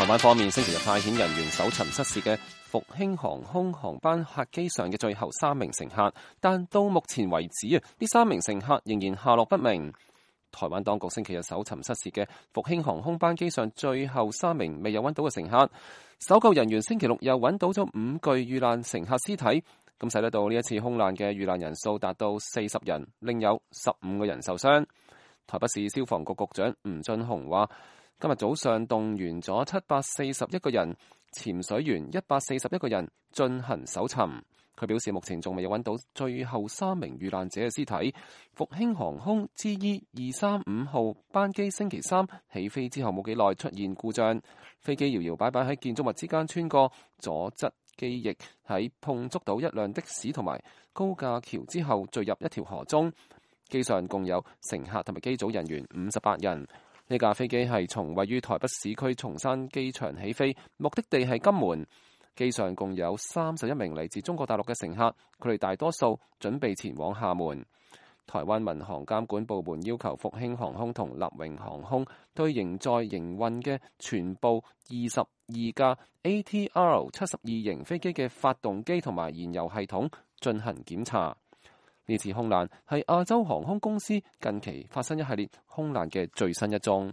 台灣方面星期日派遣人員搜尋失事嘅復興航空航班客機上嘅最後3名乘客，但到目前為止呢3名乘客仍然下落不明。台灣當局星期日搜尋失事嘅復興航空班機上最後3名未有揾到嘅乘客，搜救人員星期六又揾到咗5具遇難乘客屍體，咁使得到呢一次空難嘅遇難人數達到40人，另有15個人受傷。台北市消防局局長吳俊雄話，今日早上動員咗741個人、潛水員141個人進行搜尋。佢表示目前仲未有揾到最後3名遇難者嘅屍體。復興航空 GE235號班機星期三起飛之後冇幾耐出現故障，飛機搖搖擺擺喺建築物之間穿過，左側機翼喺碰觸到一輛的士同埋高架橋之後墜入一條河中。機上共有乘客同埋機組人員58人。呢架飛機係從位於台北市區松山機場起飛，目的地係金門。機上共有31名嚟自中國大陸嘅乘客，佢哋大多數準備前往廈門。台灣民航監管部門要求復興航空同立榮航空對仍在營運嘅全部22架 ATR 72型飛機嘅發動機同埋燃油系統進行檢查。呢次空難係亞洲航空公司近期發生一系列空難嘅最新一宗。